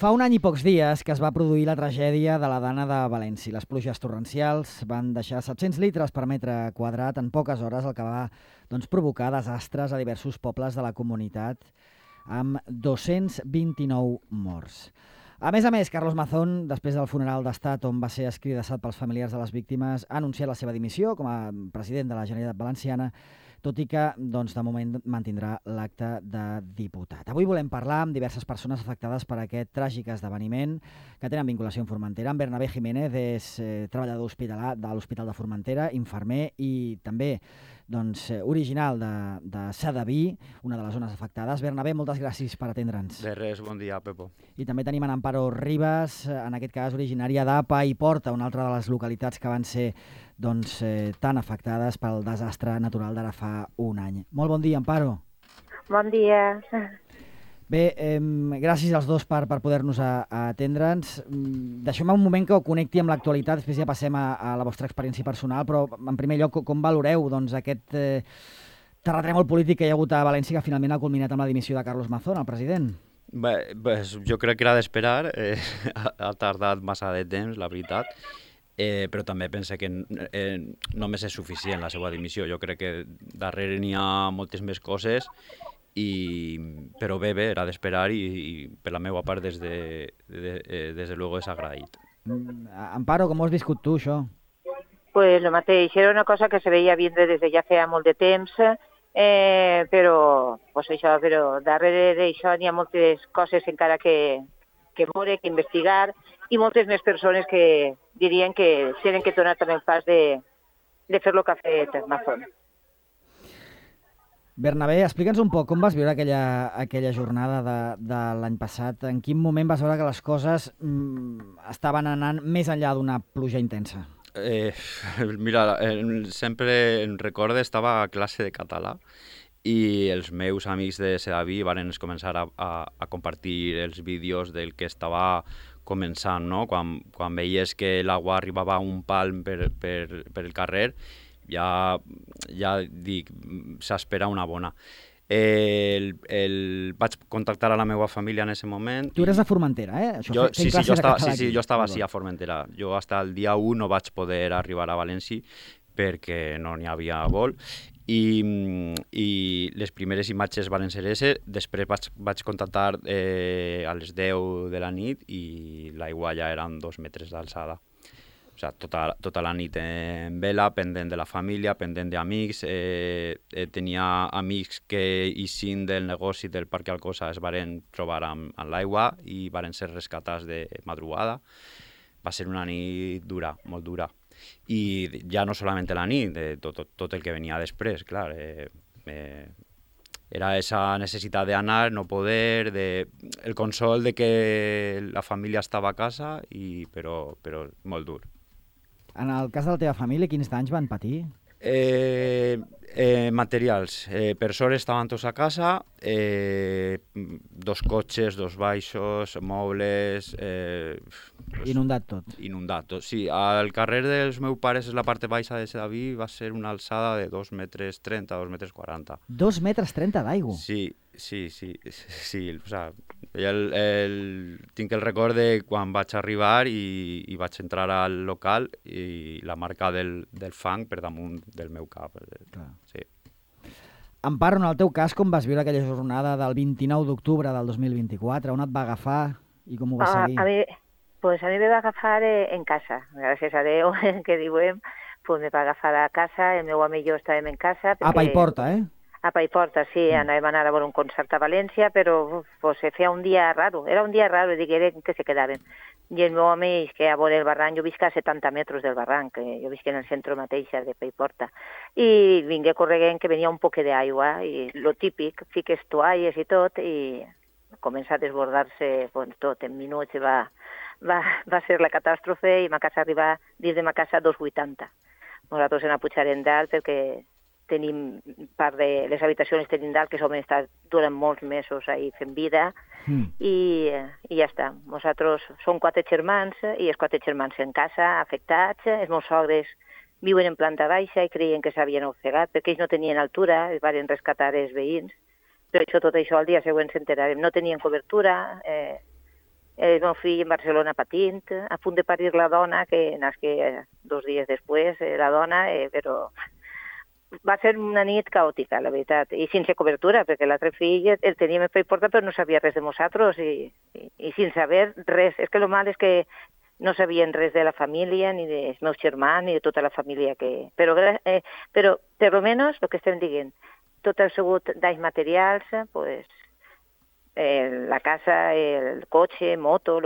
Fa un any i pocs dies que es va produir la tragèdia de la Dana de València. Les pluges torrencials van deixar 700 litres per metre quadrat en poques hores, el que va provocar desastres a diversos pobles de la comunitat, amb 229 morts. A més, Carlos Mazón, després del funeral d'estat on va ser escridassat pels familiars de les víctimes, ha anunciat la seva dimissió com a president de la Generalitat Valenciana, tot i que, de moment, mantindrà l'acte de diputat. Avui volem parlar amb diverses persones afectades per aquest tràgic esdeveniment que tenen vinculació amb Formentera. En Bernabé Jiménez és treballador de l'Hospital de Formentera, infermer i també original de Sedaví, una de les zones afectades. Bernabé, moltes gràcies per atendre'ns. De res, bon dia, Pepo. I també tenim en Amparo Ribas, en aquest cas originària d'Apa i Porta, una altra de les localitats que van ser tan afectades pel desastre natural d'ara fa un any. Molt bon dia, Amparo. Bon dia. Bé, gràcies als dos per poder-nos atendre'ns. Deixeu-me un moment que ho connecti amb l'actualitat, després ja passem a la vostra experiència personal, però en primer lloc, com valoreu aquest terratrèmol polític que hi ha hagut a València que finalment ha culminat amb la dimissió de Carlos Mazón, el president? Bé, jo crec que era d'esperar, ha tardat massa de temps, la veritat, però també pense que només és suficient la seva dimissió. Jo crec que darrere n'hi ha moltes més coses, però bé, era d'esperar i per la meva part des de luego és agraït. Amparo, com ho has viscut tu, això? Pues lo mateix, era una cosa que se veia vindre des de ja feia molt de temps, però darrere d'això n'hi ha moltes coses encara que veure, que investigar, i moltes més persones que dirien que tenen que tornar també el pas de fer el que ha fet Mazón. Bernabé, explica'ns un poc com vas viure aquella jornada de l'any passat. En quin moment vas veure que les coses estaven anant més enllà d'una pluja intensa? Mira, sempre em recordo, estava a classe de català i els meus amics de Sedaví van començar a compartir els vídeos del que estava començant, no? Quan veies que l'aigua arribava a un palm per el carrer, ja dic, s'espera una bona. Vaig contactar a la meva família en aquest moment. Tu eres de Formentera, eh? Jo estava sí, a Formentera. Jo fins el dia 1 no vaig poder arribar a València perquè no n'hi havia vol. I les primeres imatges van ser ese. Després vaig contactar a les 10 de la nit i l'aigua ja eren 2 metres d'alçada. O sigui, tota la nit en vela, pendent de la família, pendent d'amics. Tenia amics que, eixint del negoci del Parc Alcosa, es van trobar amb l'aigua i van ser rescatats de madrugada. Va ser una nit dura, molt dura. I ja no solament la nit, tot el que venia després, clar. Era esa necessitat d'anar, no poder, el consol de que la família estava a casa, però molt dur. En el cas de la teva família, quins danys van patir? Materials. Per sort estaven tots a casa, 2 cotxes, 2 baixos, mobles... Inundat tot. Inundat tot, sí. Al carrer dels meus pares, la part baixa de Sedaví, va ser una alçada de 2,30 metres, 2,40 metres. 2,30 metres d'aigua? Sí. O sigui, tinc el record de quan vaig arribar i vaig entrar al local i la marca del fang per damunt del meu cap. Sí. Amparo, en el teu cas, com vas viure aquella jornada del 29 d'octubre del 2024? On et va agafar i com ho vas seguir? A mi me va agafar en casa, gràcies a Déu, que diuen, me va agafar a casa, el meu home i jo estàvem en casa. Apa i Porta, eh? Apa i Porta, sí, anàvem a anar a veure un concert a València, però se feia un dia raro, era un dia raro, i digueren que se quedaven. I el meu home és que a veure el barranc, jo visc a 70 metres del barranc, jo visc en el centre mateix de Paiporta, i vingué correguent que venia un poc d'aigua, i lo típic, fiques toalles i tot, i comença a desbordar-se tot, en minuts va ser la catàstrofe i ma casa arriba dins de ma casa 2,80. Nosaltres ens pujarem dalt perquè tenim part de les habitacions tenim dalt que som estat durant molts mesos ahí fent vida i ja està. Nosaltres som 4 germans i els 4 germans en casa afectats. Els meus sogres viuen en planta baixa i creien que s'havien ofegat perquè ells no tenien altura, els van rescatar els veïns. Però tot això al dia següent s'enterarem. No tenien cobertura, el meu fill en Barcelona patint, a punt de parir la dona, que nasqué 2 dies després, la dona, però va ser una nit caòtica, la veritat, i sense cobertura, perquè l'altre fill el teníem en Paiporta però no sabia res de nosaltres i sense saber res. És que el mal és que no sabien res de la família, ni dels meus germans, ni de tota la família que... Però per almenys, el que estem dient, tot ha sigut danys materials, pues, la casa, el cotxe, moto,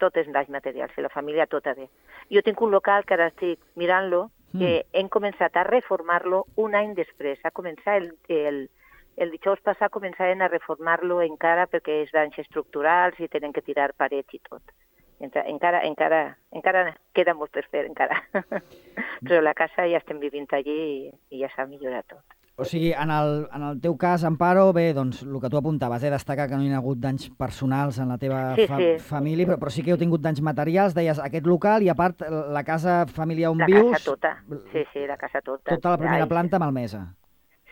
tot és danys materials, i la família tota bé. Jo tinc un local que ara estic mirant-lo, que hem començat a reformar-lo un any després. Ha començat el dijous passat començaven a reformar-lo encara perquè és danys estructurals i tenen que tirar parets i tot. Encara queda molt per fer, encara. Però la casa ja estem vivint allí i ja s'ha millorat tot. O sigui, en el teu cas, Amparo, bé, doncs, el que tu apuntaves, destacar que no hi ha hagut danys personals en la teva família, però sí que heu tingut danys materials, deies, aquest local i, a part, la casa família on vius... La casa tota, sí, la casa tota. Tota la primera planta malmesa.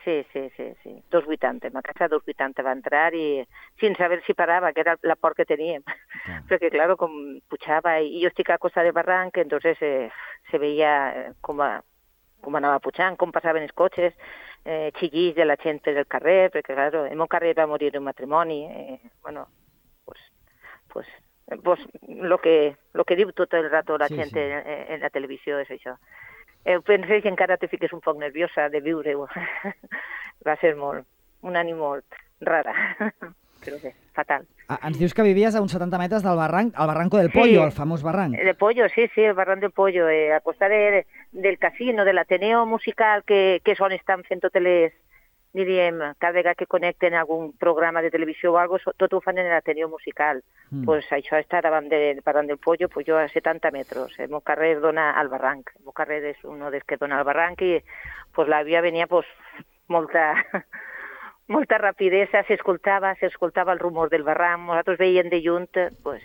Sí. 2,80. Ma casa 2,80 va entrar i sense saber si parava, que era la por que teníem. Perquè, clar, com pujava, i jo estic a costa de barranc, entonces se veia com anava pujant, com passaven els cotxes, xillits de la gent per el carrer, perquè, clar, el meu carrer va morir un matrimoni. Bueno, pues lo que diu tot el rato la gent en la televisió és això. Penso que encara te fiques un poc nerviosa de viure-ho. Va ser un any molt rara, però bé, fatal. Ens dius que vivies a uns 70 metres del barranc, el Barranco del Pollo, el famós barranc. El Pollo, sí, el barranc del Pollo, a costat del casino, de l'Ateneo Musical, que és on estan fent totes les, diríem, cada vegada que connecten algun programa de televisió o alguna cosa, tot ho fan en l'Ateneo Musical. Pues això està davant del barranc del Pollo, pues jo a 70 metres. El meu carrer dona al barranc. El meu carrer és un dels que dona al barranc i pues, la via venia pues, molta rapidesa, s'escoltava el rumor del barranc, nosaltres veiem de lluny, pues,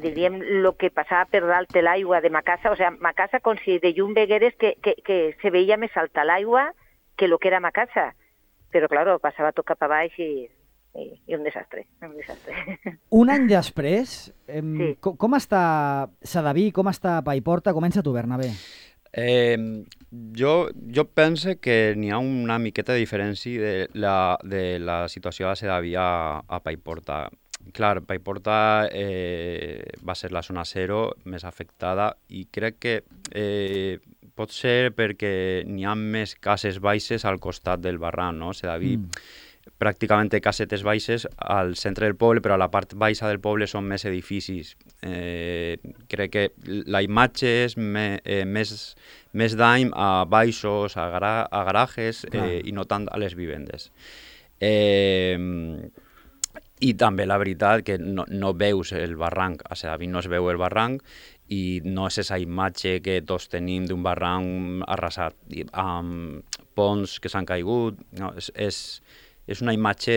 diríem, el que passava per dalt de l'aigua de ma casa, o sigui, ma casa com si de lluny vegueres que se veia més alta l'aigua que el que era ma casa, però, clar, passava tot cap a baix i un desastre. Un any després, com està Sedaví, com està Paiporta? Comença tu, Bernabé. Jo pense que n'hi ha una miqueta de diferència de la situació de Sedaví a Paiporta. Clar, Paiporta va ser la zona zero més afectada i crec que pot ser perquè n'hi ha més cases baixes al costat del barranc, no? Sedaví pràcticament té casetes baixes al centre del poble, però a la part baixa del poble són més edificis. Crec que la imatge és més dany a baixos, a garajes i no tant a les vivendes. I també la veritat que no veus el barranc, a Sedaví no es veu el barranc i no és aquesta imatge que tots tenim d'un barranc arrasat, amb ponts que s'han caigut, no, és una imatge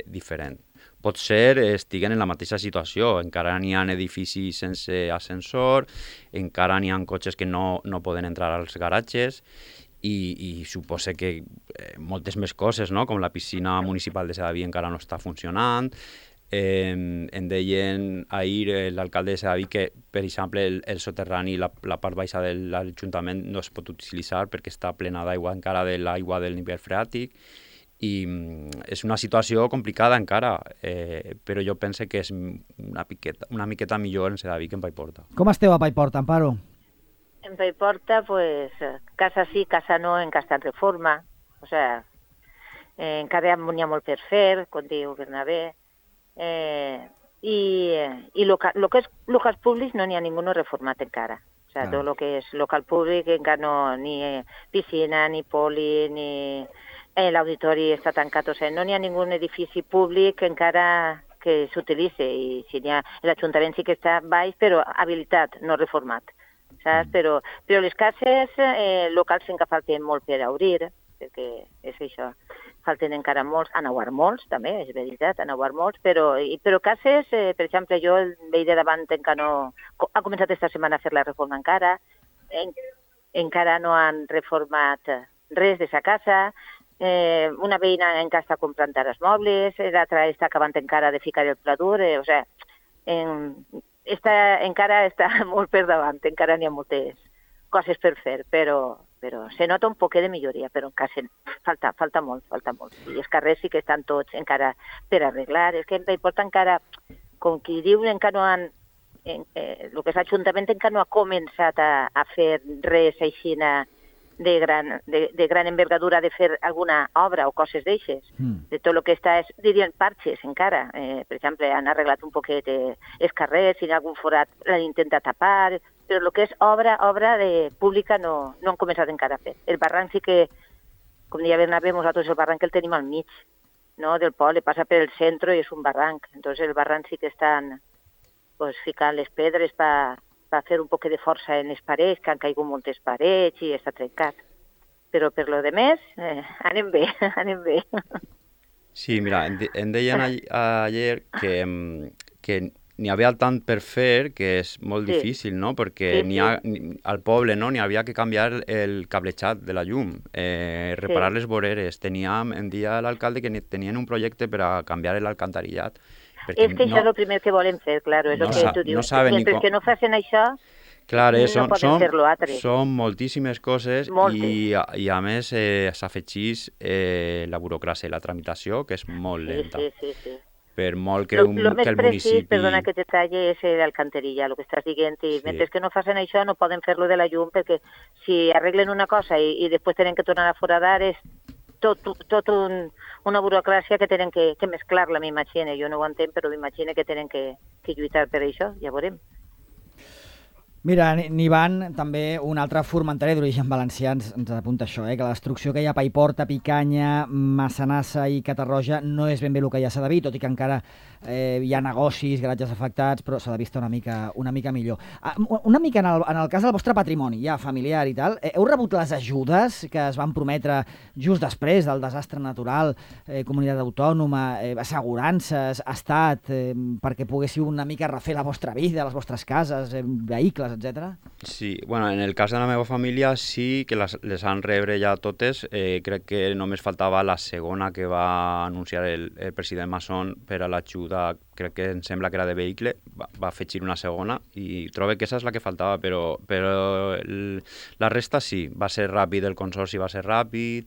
diferent. Potser estiguen en la mateixa situació, encara n'hi ha edificis sense ascensor, encara n'hi ha cotxes que no poden entrar als garatges i suposa que moltes més coses, no? Com la piscina municipal de Sedaví encara no està funcionant. Em deien ahir l'alcalde de Sedaví que, per exemple, el soterrani, la part baixa de l'Ajuntament no es pot utilitzar perquè està plena d'aigua encara de l'aigua del nivell freàtic. I és una situació complicada encara, però jo penso que és una miqueta millor en Sedaví que en Paiporta. Com esteu a Paiporta, Amparo? En Paiporta, pues, casa sí, casa no, encara està en reforma. O sea, encara n'hi ha molt per fer, com diu Bernabé. I lo que és locals públics no n'hi ha ningú reformat encara. O sea, tot el que és local públic encara no, ni piscina, ni poli, ni... L'auditori està tancat, o sigui, no n'hi ha ningú edifici públic encara que s'utilitzi, i si n'hi ha, l'Ajuntament sí que està baix, però habilitat, no reformat, saps? Però les cases locals encara falten molt per obrir, perquè és això, falten encara molts, han obert molts, també, és veritat, han obert molts, però cases, per exemple, jo el veí de davant encara no... Ha començat esta setmana a fer la reforma encara no han reformat res de sa casa. una veïna encara està comprant ara els mobles, l'altra està acabant encara de ficar el pla dur, o sigui, encara està molt per davant, encara n'hi ha moltes coses per fer, però se nota un poquet de milloria, però encara falta molt. I els carrers sí que estan tots encara per arreglar, és que importa encara, com qui diu, encara no han, el que és l'Ajuntament encara no ha començat a fer res així de gran envergadura, de fer alguna obra o coses d'eixes. De tot el que està, dirien, parxes encara. Per exemple, han arreglat un poquet els carrers, si hi ha algun forat l'han intentat tapar, però el que és obra de pública no han començat encara a fer. El barranc sí que, com deia Bernabé, nosaltres el barranc el tenim al mig, no? Del poble, passa per el centre i és un barranc. Entonces el barranc sí que estan ficant les pedres per fer un poc de força en les parets, que han caigut moltes parets i està trencat. Però per lo de més, anem bé. Sí, mira, em deien ayer que n'hi havia tant per fer que és molt difícil, no? Perquè al poble n'hi havia que canviar el cablejat de la llum, reparar les voreres. Em deia l'alcalde que tenien un projecte per a canviar l'alcantarillat. És que això és el primer que volen fer, clar, és el que tu dius. Mentre que no facin això, no poden fer l'altre. Són moltíssimes coses i a més s'afegeix la burocràcia i la tramitació, que és molt lenta. Sí. Per molt que el municipi... El més precís, perdona que te talli, és l'alcantarilla, el que estàs dient, i mentre que no facin això no poden fer-lo de la llum, perquè si arreglen una cosa i després tenen que tornar a foradar, és tot una burocràcia que tenen que mesclar-la, m'imagino. Jo no ho entenc, però m'imagino que tenen que lluitar per això, ja veurem. Mira, Nivan, també un altre formenterer d'origen valencià ens apunta això, que la destrucció que hi ha a Paiporta, Picanya, Massanassa i Catarroja no és ben bé el que ja s'ha de dir, tot i que encara hi ha negocis, garatges afectats, però s'ha de vista una mica millor. Una mica en el cas del vostre patrimoni, ja familiar i tal, heu rebut les ajudes que es van prometre just després del desastre natural, comunitat autònoma, assegurances, estat, perquè poguéssiu una mica refer la vostra vida, les vostres cases, vehicles, etcètera? Sí, bueno, en el cas de la meva família sí que les han rebre ja totes. Crec que només faltava la segona que va anunciar el president Masson per a l'ajuda, crec que em sembla que era de vehicle, va afegir una segona i trobo que aquesta és la que faltava, però la resta sí, va ser ràpid, el consorci va ser ràpid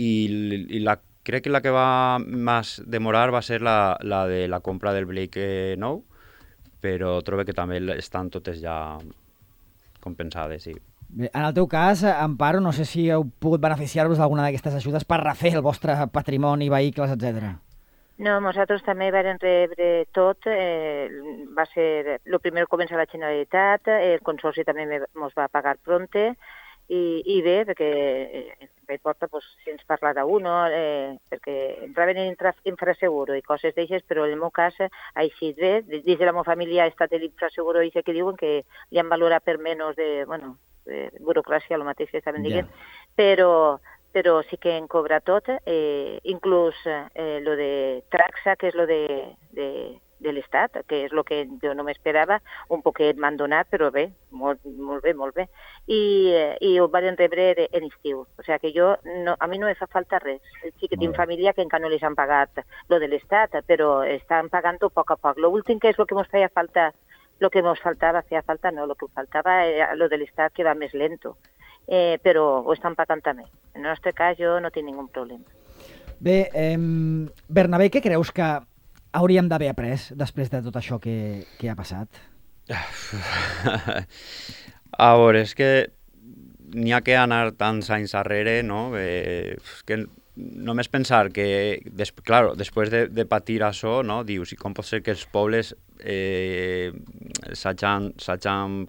i crec que la que va més demorar va ser la de la compra del vehicle nou, però trobo que també estan totes ja compensades, sí. Bé, en el teu cas, Amparo, no sé si heu pogut beneficiar-vos d'alguna d'aquestes ajudes per refer el vostre patrimoni, vehicles, etc. No, nosaltres també vam rebre tot. Va ser... El primer comença la Generalitat, el Consorci també ens va pagar pronte, i bé, perquè Paiporta, si ens parlarà uno, perquè entraven en infraseguro i coses d'aixes, però en el meu cas ha eixit bé. Dins de la meva família ha estat l'infraseguro i que diuen que li han valorat per menys de burocràcia, el mateix que estaven dient, però sí que en cobra tot, inclús lo de Traxa, que és lo de l'Estat, que és el que jo no m'esperava, un poquet m'han donat, però bé, molt bé. I ho van rebre en estiu. O sigui que a mi no me fa falta res. Sí que tinc família que encara no les han pagat lo de l'Estat, però estan pagant-ho a poc a poc. L'últim que és el que ens feia falta, lo que ens faltava era lo de l'Estat, que va més lento. Però ho estan pagant també. En el nostre cas jo no tinc ningú problema. Bé, Bernabé, què creus que hauríem d'haver après després de tot això que ha passat? A veure, és que n'hi ha que anar tants anys darrere, no? Que només pensar que, després de patir això, no? Dius, i com pot ser que els pobles s'hagin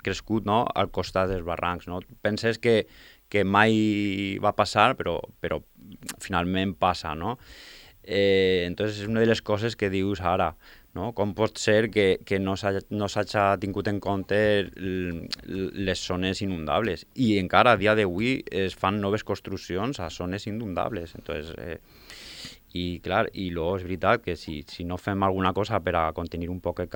crescut, no? Al costat dels barrancs, no? Penses que mai va passar, però finalment passa, no? Entonces és una de les coses que dius ara, no? Com pot ser que no s'hagi tingut en compte les zones inundables i encara a dia d'avui es fan noves construccions a zones inundables. Entonces, i luego és veritat que si no fem alguna cosa per a contenir un poc el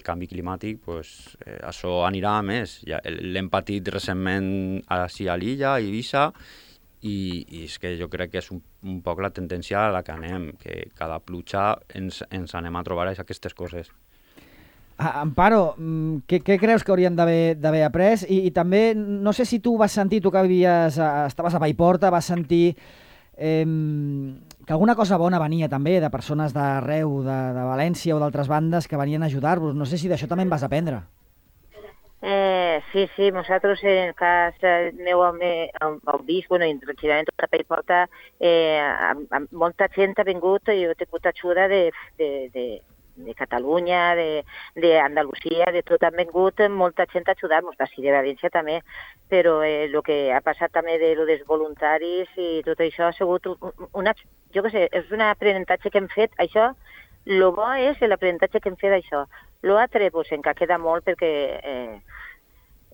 canvi climàtic, pues, això anirà a més. Ja l'hem patit recentment a l'illa, a Eivissa, i és que jo crec que és un poc la tendència a la que anem, que cada pluja ens anem a trobar aquestes coses. Amparo, què creus que hauríem d'haver après? I també, no sé si tu vas sentir, tu que estaves a Paiporta, vas sentir que alguna cosa bona venia també de persones d'arreu, de València o d'altres bandes que venien a ajudar-vos. No sé si d'això també en vas aprendre. Sí, nosaltres en el cas meu heu vist, bueno, tranquil·lament tota Paiporta, molta gent ha vingut i ha tingut ajuda de Catalunya, d'Andalusia, de tot han vingut molta gent a ajudar-nos, d'ací de València també, però el que ha passat també de lo dels voluntaris i tot això ha sigut jo què sé, és un aprenentatge que hem fet, això, lo bo és l'aprenentatge que hem fet d'això. L'altre, pues, encara queda molt perquè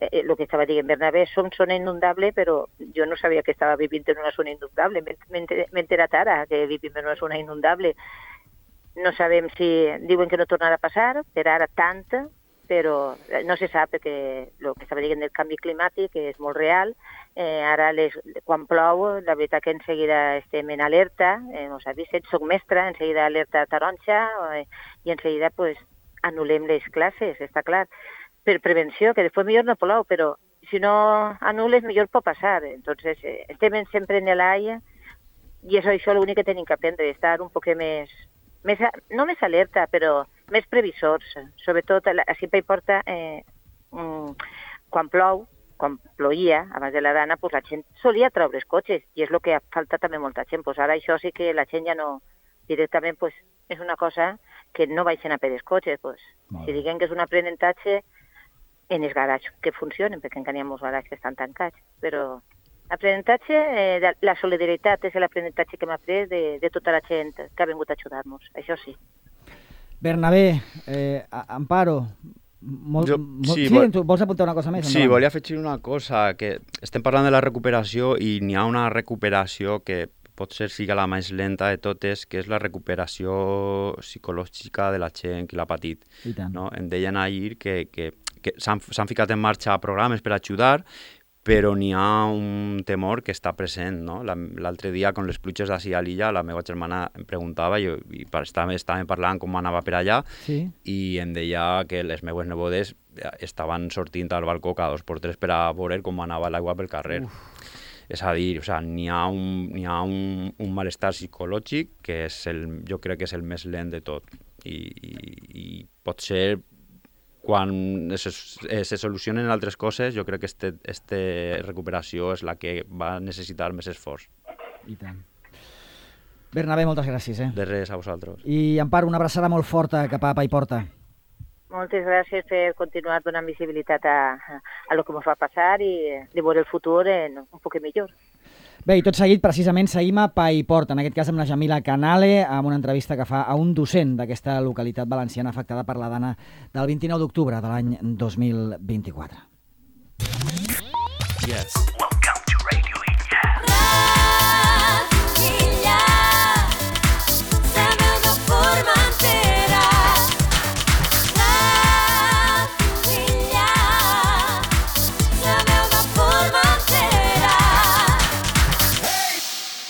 el que estava dient Bernabé, som zona inundable, però jo no sabia que estava vivint en una zona inundable, m'he enterat ara que vivim en una zona inundable. No sabem si diuen que no tornarà a passar, per ara tant, però no se sap perquè el que estava dient del canvi climàtic és molt real. Ara, quan plou, la veritat que en seguida estem en alerta, no s'ha vist, soc mestra, en seguida alerta taronja i en seguida pues, anul·lem les classes, està clar, per prevenció, que després millor no plou, però si no anul·les millor pot passar. Entonces, estem sempre en l'aire i és això l'únic que tenim que aprendre, estar un poc més no més alerta, però més previsors. Sobretot, així Paiporta, quan ploïa, abans de la dana, pues la gent solia treure els cotxes, i és el que ha faltat també molta gent. Pues ara això sí que la gent ja no... Directament, pues, és una cosa que no baixen a per els cotxes. Pues. Si diguem que és un aprenentatge en els garatges que funcionen, perquè encara hi ha molts garatges que estan tancats, però... Aprenentatge, la solidaritat és l'aprenentatge que hem après de tota la gent que ha vingut a ajudar-nos, això sí. Bernabé, Amparo, tu vols apuntar una cosa més? Sí, volia afegir una cosa, que estem parlant de la recuperació i n'hi ha una recuperació que potser sigui la més lenta de totes, que és la recuperació psicològica de la gent que l'ha patit. No? Em deien ahir que s'han ficat en marxa programes per ajudar, però n'hi ha un temor que està present, no? L'altre dia, amb les pluges d'ací a l'illa, la meva germana em preguntava i estàvem parlant com anava per allà, i em deia que les meves nebodes estaven sortint al balcó cada 2x3 per a veure com anava l'aigua pel carrer. És a dir, n'hi ha un malestar psicològic que jo crec que és el més lent de tot. I potser quan se solucionen altres coses, jo crec que aquesta recuperació és la que va necessitar més esforç. I tant. Bernabé, moltes gràcies. De res, a vosaltres. I Amparo, una abraçada molt forta cap a Paiporta. Moltes gràcies per continuar donant visibilitat a lo que ens va passar i de veure el futur un poc millor. Bé, i tot seguit, precisament, seguim a Paiporta, en aquest cas amb la Jamila Canale, amb una entrevista que fa a un docent d'aquesta localitat valenciana afectada per la dana del 29 d'octubre de l'any 2024. Yes.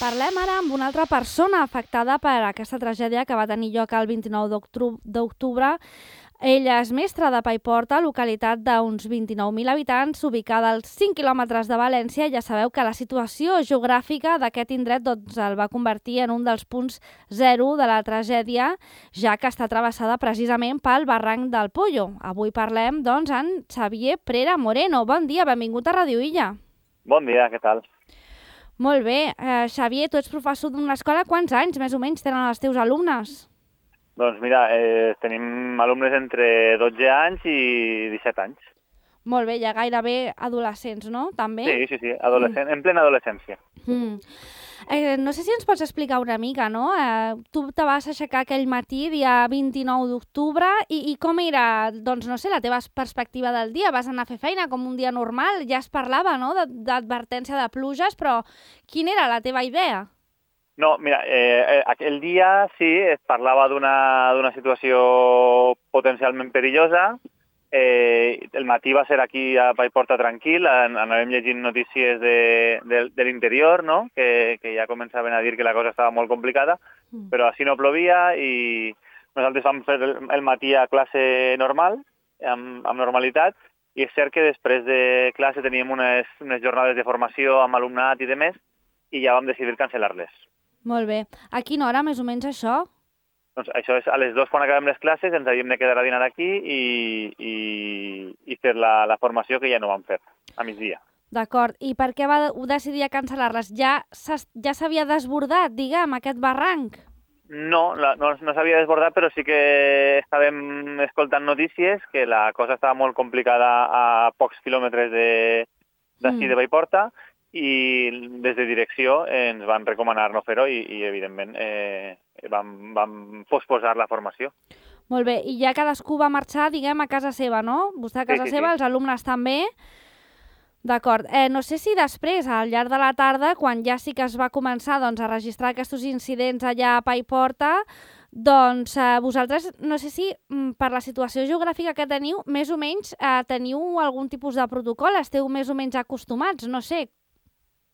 Parlem ara amb una altra persona afectada per aquesta tragèdia que va tenir lloc el 29 d'octubre. Ella és mestra de Paiporta, localitat d'uns 29.000 habitants, ubicada als 5 quilòmetres de València. Ja sabeu que la situació geogràfica d'aquest indret el va convertir en un dels punts zero de la tragèdia, ja que està travessada precisament pel barranc del Pollo. Avui parlem, doncs, amb Xavier Prera Moreno. Bon dia, benvingut a Radio Illa. Bon dia, què tal? Molt bé. Xavier, tu ets professor d'una escola. Quants anys, més o menys, tenen els teus alumnes? Doncs mira, tenim alumnes entre 12 anys i 17 anys. Molt bé, ja gairebé adolescents, no? També? Sí, en plena adolescència. No sé si ens pots explicar una mica, no? Tu te vas aixecar aquell matí, dia 29 d'octubre, i com era, doncs no sé, la teva perspectiva del dia? Vas anar a fer feina com un dia normal? Ja es parlava, no?, d'advertència de pluges, però quina era la teva idea? No, mira, aquell dia sí, es parlava d'una situació potencialment perillosa, El matí va ser aquí a Paiporta tranquil, anàvem llegint notícies de l'interior, no? que ja començaven a dir que la cosa estava molt complicada, però així no plovia i nosaltres vam fer el matí a classe normal, amb normalitat, i és cert que després de classe teníem unes jornades de formació amb alumnat i demés, i ja vam decidir cancel·lar-les. Molt bé. A quina hora, més o menys, això? Doncs això és a les 2 quan acabem les classes, ens havíem de quedar a dinar aquí i fer la formació que ja no vam fer, a migdia. D'acord. I per què vau decidir cancel·lar-les? Ja s'havia desbordat, diguem, aquest barranc? No s'havia desbordat, però sí que estàvem escoltant notícies que la cosa estava molt complicada a pocs quilòmetres d'ací de Paiporta, i des de direcció ens van recomanar no fer-ho i evidentment, vam posposar la formació. Molt bé, i ja cadascú va marxar, diguem, a casa seva, no? Vostè a casa seva, els alumnes també. D'acord. No sé si després, al llarg de la tarda, quan ja sí que es va començar a registrar aquests incidents allà a Paiporta, doncs vosaltres, no sé si per la situació geogràfica que teniu, més o menys teniu algun tipus de protocol, esteu més o menys acostumats, no sé.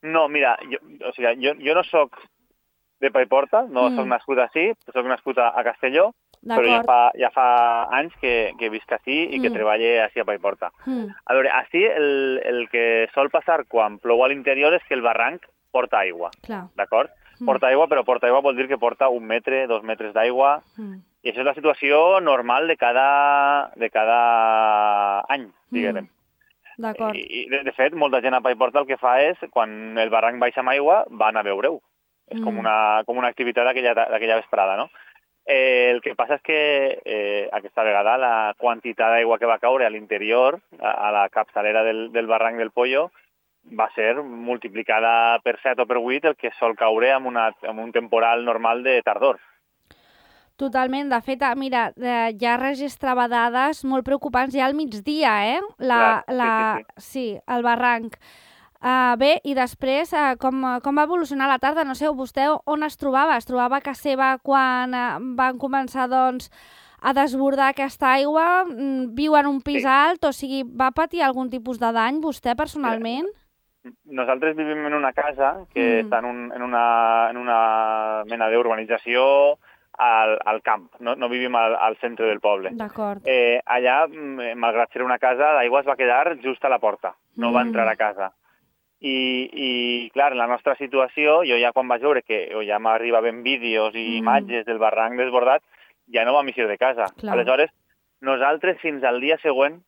No, mira, jo no sóc de Paiporta, no sóc nascut així, sóc nascut a Castelló, però ja fa anys que visc així i que treballo així a Paiporta. A veure, així el que sol passar quan plou a l'interior és que el barranc porta aigua, d'acord? Porta aigua, però porta aigua vol dir que porta 1 metre, 2 metres d'aigua, i això és la situació normal de cada any, diguem. D'acord. I, de fet, molta gent a Paiporta el que fa és, quan el barranc baixa amb aigua, van a veure-ho. És com una activitat d'aquella vesprada, no? El que passa és que aquesta vegada la quantitat d'aigua que va caure a l'interior, a la capçalera del barranc del Pollo, va ser multiplicada per 7 o per 8 el que sol caure amb un temporal normal de tardor. Totalment. De fet, mira, ja registrava dades molt preocupants ja al migdia, Sí, el barranc. Bé, i després, com va evolucionar la tarda? No sé, vostè on es trobava? Es trobava a casa seva quan van començar, doncs, a desbordar aquesta aigua? Viu en un pis alt? O sigui, va patir algun tipus de dany vostè personalment? Nosaltres vivim en una casa que està en una mena d'urbanització al camp, no vivim al centre del poble. D'acord. Allà, malgrat ser una casa, l'aigua es va quedar just a la porta, no va entrar a casa. I clar, en la nostra situació, jo ja quan vaig veure que ja m'arribaven vídeos i imatges del barranc desbordat, ja no vam eixir de casa. Clar. Aleshores, nosaltres fins al dia següent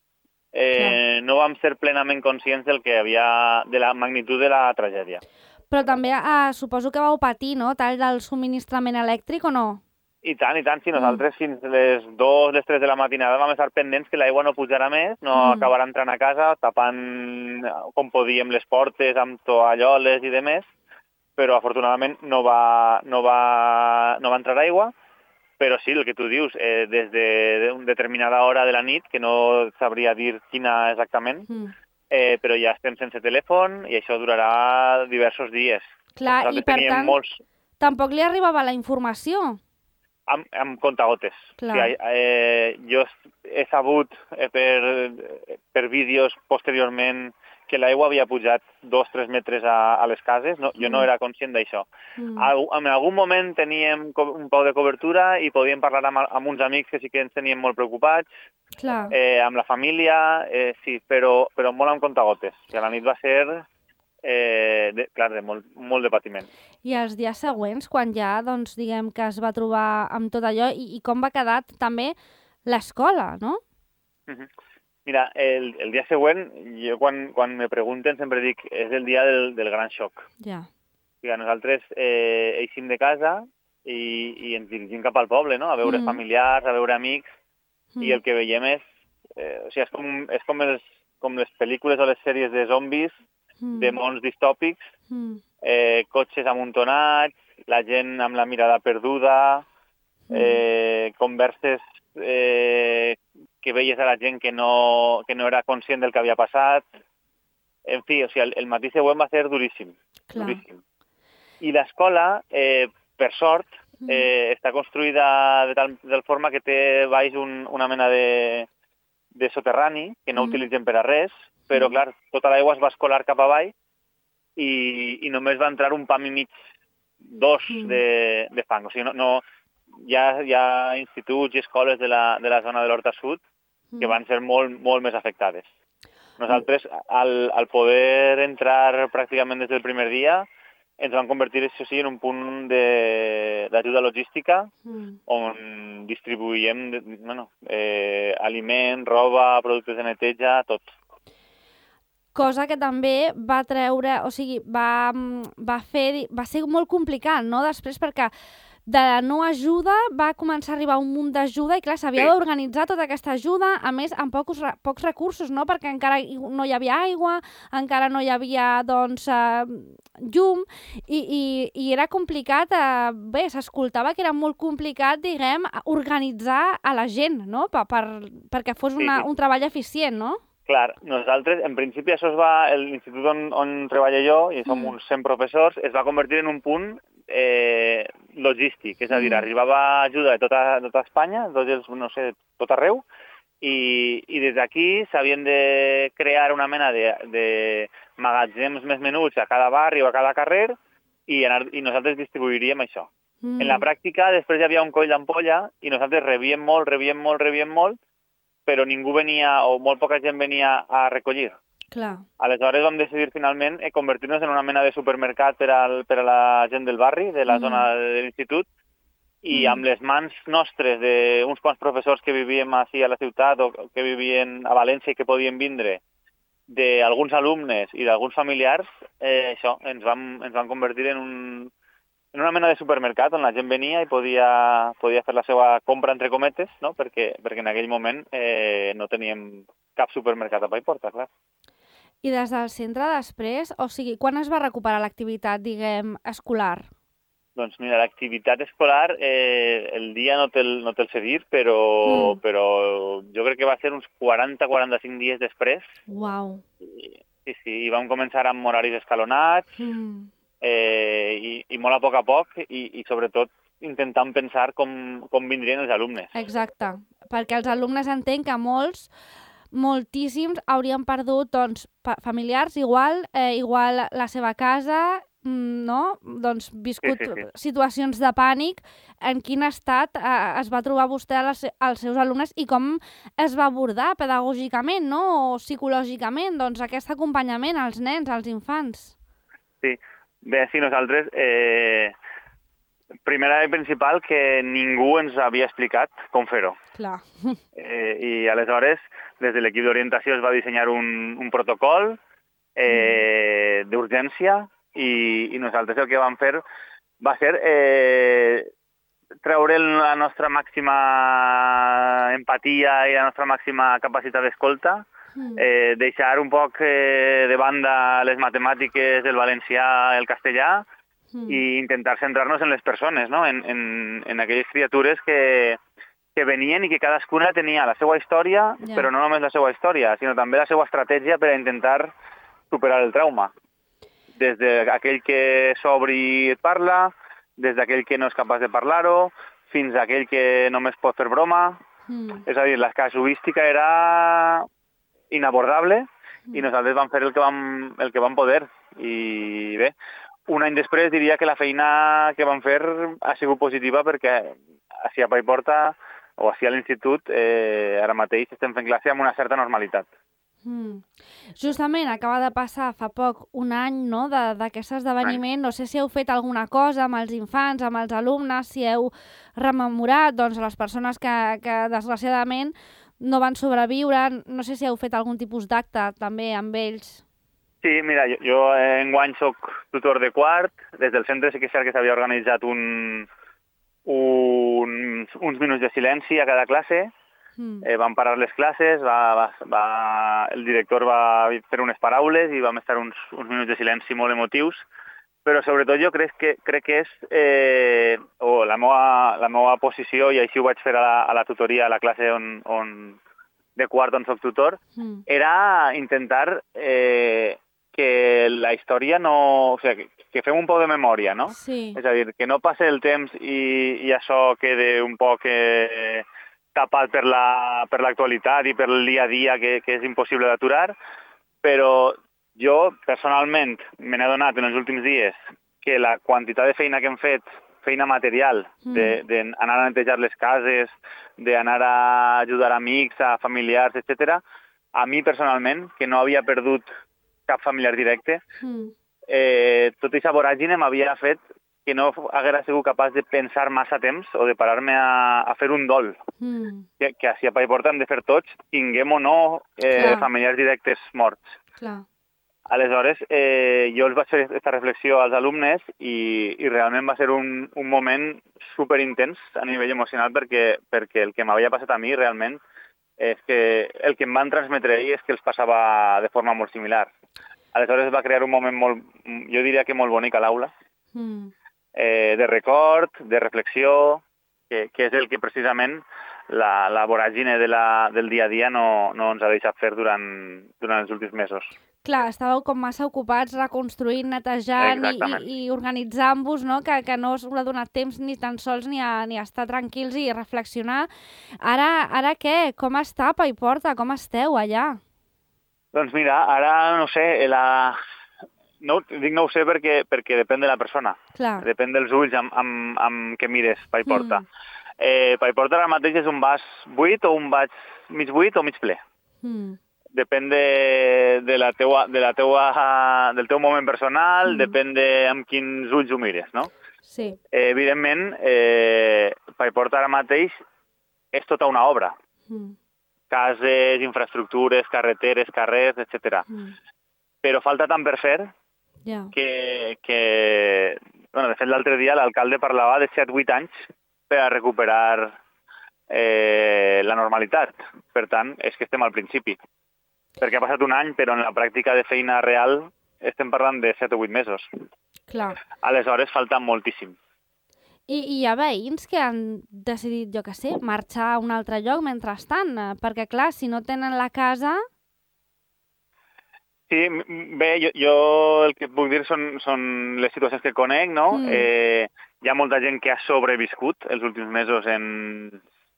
no vam ser plenament conscients de la magnitud de la tragèdia. Però també suposo que vau patir, no?, tall del subministrament elèctric o no? I tant, sí, nosaltres fins les 2, les 3 de la matinada vam estar pendents que l'aigua no pujarà més, no acabarà entrant a casa, tapant com podíem les portes amb toalloles i demés, però afortunadament no va entrar aigua, però sí, el que tu dius, des d'una determinada hora de la nit, que no sabria dir quina exactament, però ja estem sense telèfon i això durarà diversos dies. Clar, i per tant, tampoc li arribava la informació? Amb comptagotes. Clar. Jo he sabut per vídeos posteriorment que l'aigua havia pujat 2-3 metres a les cases. Jo no era conscient d'això. En algun moment teníem un pau de cobertura i podíem parlar amb uns amics que sí que ens teníem molt preocupats. Clar. Amb la família, sí, però molt amb comptagotes. I a la nit va ser de molt de patiment. I els dies següents, quan ja, doncs, diguem que es va trobar amb tot allò, i com va quedar també l'escola, no? Mira, el dia següent, jo quan me pregunten sempre dic, és el dia del gran xoc. Ja. O sigui, nosaltres eixim de casa i ens dirigim cap al poble, no?, a veure familiars, a veure amics, i el que veiem és com les pel·lícules o les sèries de zombis, de mons distòpics, cotxes amuntonats, la gent amb la mirada perduda, converses que veies a la gent que no era conscient del que havia passat. En fi, o sigui, el matí següent va ser duríssim. Duríssim. I l'escola, per sort, està construïda de tal forma que té baix una mena de soterrani, que no utilitzem per a res, però, clar, tota l'aigua es va escolar cap avall i només va entrar un pam i mig, dos de fang. O sigui, hi ha instituts i escoles de la zona de l'Horta Sud que van ser molt, molt més afectades. Nosaltres, al poder entrar pràcticament des del primer dia, ens van convertir, això sí, en un punt d'ajuda logística on distribuïm aliment, roba, productes de neteja, tot. Cosa que també va treure, o sigui, va ser molt complicat, no?, després, perquè de la no ajuda va començar a arribar un munt d'ajuda i, clar, s'havia d'organitzar tota aquesta ajuda, a més, amb pocs recursos, no?, perquè encara no hi havia aigua, encara no hi havia, doncs, llum, i era complicat, bé, s'escoltava que era molt complicat, diguem, organitzar a la gent, no?, perquè fos un treball eficient, no? Clar, nosaltres, en principi, això l'institut on treballo jo, i som uns 100 professors, es va convertir en un punt logístic, és a dir, arribava ajuda de tota Espanya, tot arreu, i des d'aquí s'havien de crear una mena de magatzems més menuts a cada barri o a cada carrer i nosaltres distribuiríem això. En la pràctica, després hi havia un coll d'ampolla i nosaltres rebíem molt, però ningú venia, o molt poca gent venia a recollir. Clar. Aleshores vam decidir finalment convertir-nos en una mena de supermercat per a la gent del barri, de la zona de l'institut, i amb les mans nostres d'uns quants professors que vivíem així a la ciutat o que vivien a València i que podien vindre, d'alguns alumnes i d'alguns familiars, això, ens vam convertir en una mena de supermercat on la gent venia i podia fer la seva compra, entre cometes, no? perquè en aquell moment no teníem cap supermercat a Paiporta, clar. I des del centre després, o sigui, quan es va recuperar l'activitat, diguem, escolar? Doncs mira, l'activitat escolar, el dia no te'l sé dir, però jo crec que va ser uns 40-45 dies després. Uau. Sí, i vam començar amb horaris escalonats, i molt a poc, i sobretot intentant pensar com vindrien els alumnes. Exacte, perquè els alumnes entenc que moltíssims haurien perdut, doncs, familiars, igual la seva casa, no? Doncs viscut situacions de pànic. En quin estat es va trobar vostè als seus alumnes i com es va abordar pedagògicament, no? O psicològicament, doncs, aquest acompanyament als nens, als infants? Sí, bé, sí, nosaltres... Primera i principal, que ningú ens havia explicat com fer-ho. Clar. I aleshores, des de l'equip d'orientació es va dissenyar un protocol d'urgència i nosaltres el que vam fer va ser treure la nostra màxima empatia i la nostra màxima capacitat d'escolta, deixar un poc de banda les matemàtiques, el valencià, el castellà, i intentar centrar-nos en les persones, no? en aquelles criatures que venien i que cadascuna tenia la seva història, però no només la seva història, sinó també la seva estratègia per a intentar superar el trauma. Des d'aquell que s'obri i et parla, des d'aquell que no és capaç de parlar-ho, fins a aquell que només pot fer broma. És a dir, la casuística era inabordable i nosaltres vam fer el que vam poder. I bé, un any després diria que la feina que vam fer ha sigut positiva perquè així a Paiporta o així a l'institut ara mateix estem fent classe amb una certa normalitat. Justament acaba de passar fa poc un any, no, d'aquest esdeveniment. No sé si heu fet alguna cosa amb els infants, amb els alumnes, si heu rememorat, doncs, les persones que desgraciadament no van sobreviure. No sé si heu fet algun tipus d'acte també amb ells. Sí, mira, jo enguany soc tutor de quart. Des del centre sí que és cert que s'havia organitzat uns minuts de silenci a cada classe. Vam parar les classes, el director va fer unes paraules i vam estar uns minuts de silenci molt emotius, però sobretot jo crec que és la meva posició, i així ho vaig fer a la tutoria, a la classe de quart on soc tutor, era intentar que la història no... O sigui, que fem un poc de memòria, no? Sí. És a dir, que no passe el temps i això quede un poc tapat per l'actualitat i per el dia a dia que és impossible d'aturar, però jo personalment me n'he adonat en els últims dies que la quantitat de feina que hem fet, feina material, d'anar a netejar les cases, d'anar a ajudar amics, a familiars, etc. A mi personalment, que no havia perdut cap familiar directe, tota aquesta voràgine m'havia fet que no haguera sigut capaç de pensar massa temps o de parar-me a fer un dol. Que així a Paiporta hem de fer tots, tinguem o no familiars directes morts. Clar. Aleshores, jo els vaig fer aquesta reflexió als alumnes i realment va ser un moment superintens a nivell emocional perquè el que m'havia passat a mi realment és que el que em van transmetre ells és que els passava de forma molt similar. Aleshores va crear un moment molt, jo diria que molt bonic a l'aula, de record, de reflexió, que és el que precisament la voràgine del dia a dia no ens ha deixat fer durant els últims mesos. Clar, estàveu com massa ocupats reconstruint, netejant i organitzant-vos, no? Que no us ha donat temps ni tan sols ni a estar tranquils i reflexionar. Ara què? Com està Paiporta? Com esteu allà? Doncs mira, ara no sé, dic no ho sé perquè depèn de la persona. Clar. Depèn dels ulls amb què mires Paiporta. Paiporta ara mateix és un vas buit o un vas mig buit o mig ple. Depèn del teu moment personal, depèn amb quins ulls ho mires, no? Sí. Evidentment, Paiporta ara mateix és tota una obra. Cases, infraestructures, carreteres, carrers, etc. Però falta tant per fer que de fet, l'altre dia l'alcalde parlava de 7-8 anys per a recuperar la normalitat. Per tant, és que estem al principi. Perquè ha passat un any, però en la pràctica de feina real estem parlant de 7 o 8 mesos. Clar. Aleshores, falta moltíssim. I hi ha veïns que han decidit, jo què sé, marxar a un altre lloc mentrestant, perquè, clar, si no tenen la casa... Sí, bé, jo el que puc dir són les situacions que conec, no? Hi ha molta gent que ha sobreviscut els últims mesos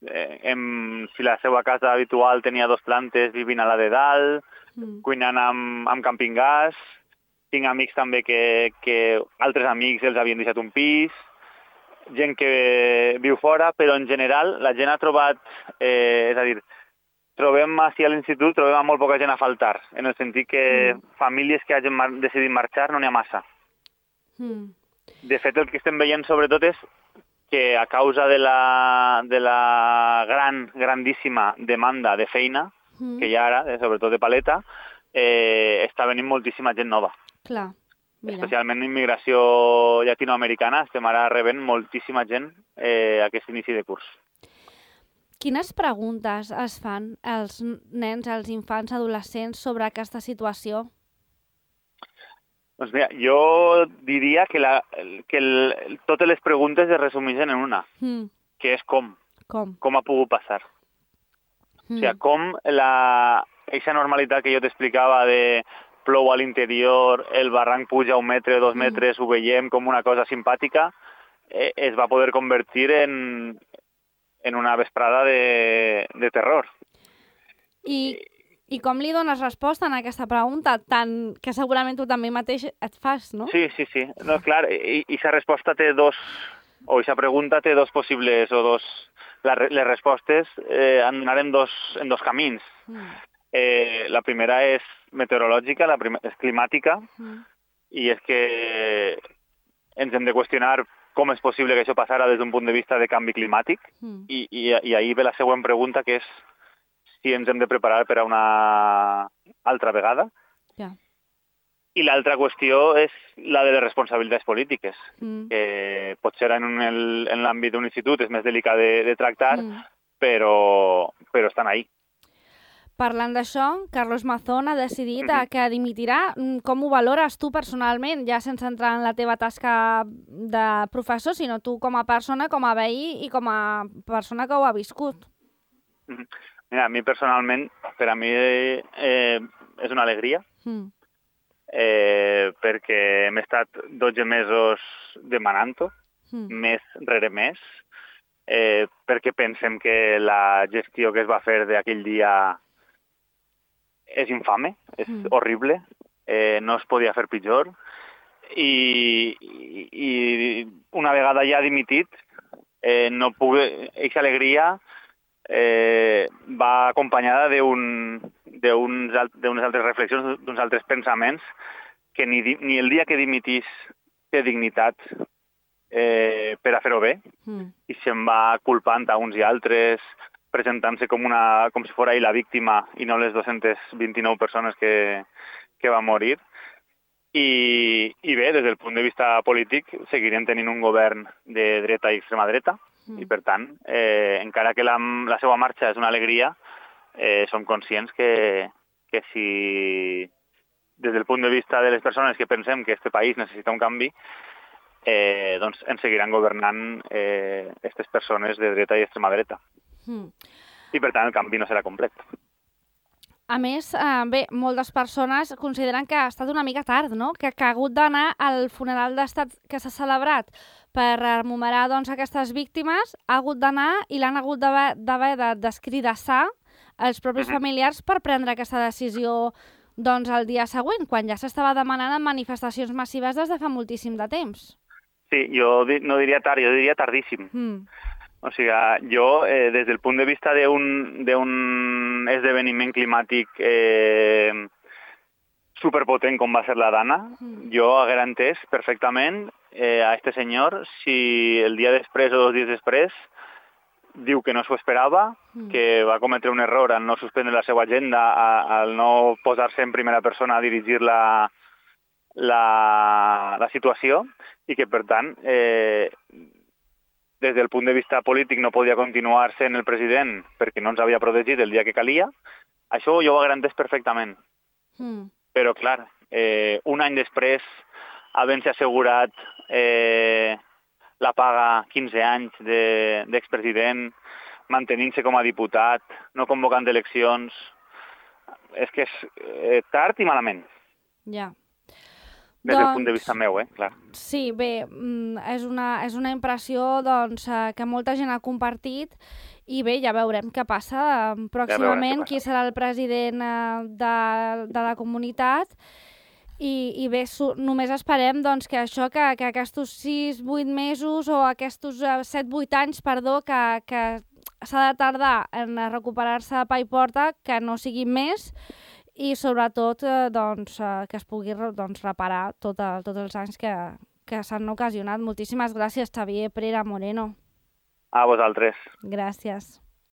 si la seva casa habitual tenia 2 plantes, vivint a la de dalt, cuinant amb camping-gas. Tinc amics també que altres amics els havien deixat un pis, gent que viu fora, però en general la gent ha trobat, és a dir, trobem així a l'institut, trobem molt poca gent a faltar, en el sentit que famílies que hagin decidit marxar no n'hi ha massa. De fet, el que estem veient sobretot és que a causa de la grandíssima demanda de feina que hi ha ara, sobretot de paleta, està venint moltíssima gent nova. Clar, mira. Especialment immigració llatinoamericana, estem ara rebent moltíssima gent a aquest inici de curs. Quines preguntes es fan els nens, els infants, adolescents sobre aquesta situació? Doncs mira, jo diria que totes les preguntes es resumeixen en una, que és com. Com ha pogut passar. O sigui, com aquesta normalitat que jo t'explicava de plou a l'interior, el barranc puja 1 metre, 2 metres, ho veiem com una cosa simpàtica, es va poder convertir en una vesprada de terror. I com li dones resposta a aquesta pregunta, tant que segurament tu també mateix et fas, no? Sí. No, clar, i aquesta resposta té aquesta pregunta té dos possibles, les respostes han d'anar en dos camins. La primera és meteorològica, és climàtica, i és que ens hem de qüestionar com és possible que això passara des d'un punt de vista de canvi climàtic, i ahir ve la següent pregunta, que és si ens hem de preparar per a una altra vegada. I l'altra qüestió és la de les responsabilitats polítiques, que potser en l'àmbit d'un institut és més delicat de tractar, però estan ahí. Parlant d'això, Carlos Mazón ha decidit que dimitirà. Com ho valores tu personalment, ja sense entrar en la teva tasca de professor, sinó tu com a persona, com a veí i com a persona que ho ha viscut? Mira, a mi personalment, per a mi és una alegria, perquè hem estat 12 mesos demanant-ho, mes rere mes, perquè pensem que la gestió que es va fer d'aquell dia és infame, és horrible, no es podia fer pitjor, i una vegada ja dimitit, aquesta alegria va acompanyada d'unes altres reflexions, d'uns altres pensaments, que ni el dia que dimitís té dignitat per a fer-ho bé, i se'n va culpant a uns i altres, presentant-se com si fos ell la víctima i no les 229 persones que van morir. I bé, des del punt de vista polític, seguirem tenint un govern de dreta i extrema dreta, i per tant, encara que la seva marxa és una alegria, som conscients que si des del punt de vista de les persones que pensem que aquest país necessita un canvi, doncs ens seguiran governant aquestes persones de dreta i extrema dreta. I per tant el canvi no serà complet. A més, bé, moltes persones consideren que ha estat una mica tard, no? Que ha hagut d'anar al funeral d'estat que s'ha celebrat per rememorar aquestes víctimes, ha hagut d'anar i l'han hagut d'haver d'escridassar els propis familiars per prendre aquesta decisió el dia següent, quan ja s'estava demanant en manifestacions massives des de fa moltíssim de temps. Sí, jo no diria tard, jo diria tardíssim. O sigui, jo, des del punt de vista d'un esdeveniment climàtic superpotent com va ser la Dana, jo haguera entès perfectament a este senyor si el dia després o 2 dies després diu que no s'ho esperava, que va cometre un error al no suspendre la seva agenda, al no posar-se en primera persona a dirigir la situació, i que, per tant, des del punt de vista polític no podia continuar sent el president perquè no ens havia protegit el dia que calia, això jo ho haguera entès perfectament. Però, clar, un any després, havent-se assegurat la paga 15 anys d'expresident, mantenint-se com a diputat, no convocant eleccions, és que és tard i malament. Ja. Des del punt de vista meu, clar. Sí, bé, és una impressió que molta gent ha compartit i bé, ja veurem què passa pròximament, qui serà el president de la comunitat i bé, només esperem que això, que aquests 6-8 mesos o aquests 7-8 anys, perdó, que s'ha de tardar en recuperar-se a Paiporta, que no sigui més, i sobretot que es pugui reparar tots els anys que s'han ocasionat. Moltíssimes gràcies, Xavier Prera Moreno. A vosaltres. Gràcies.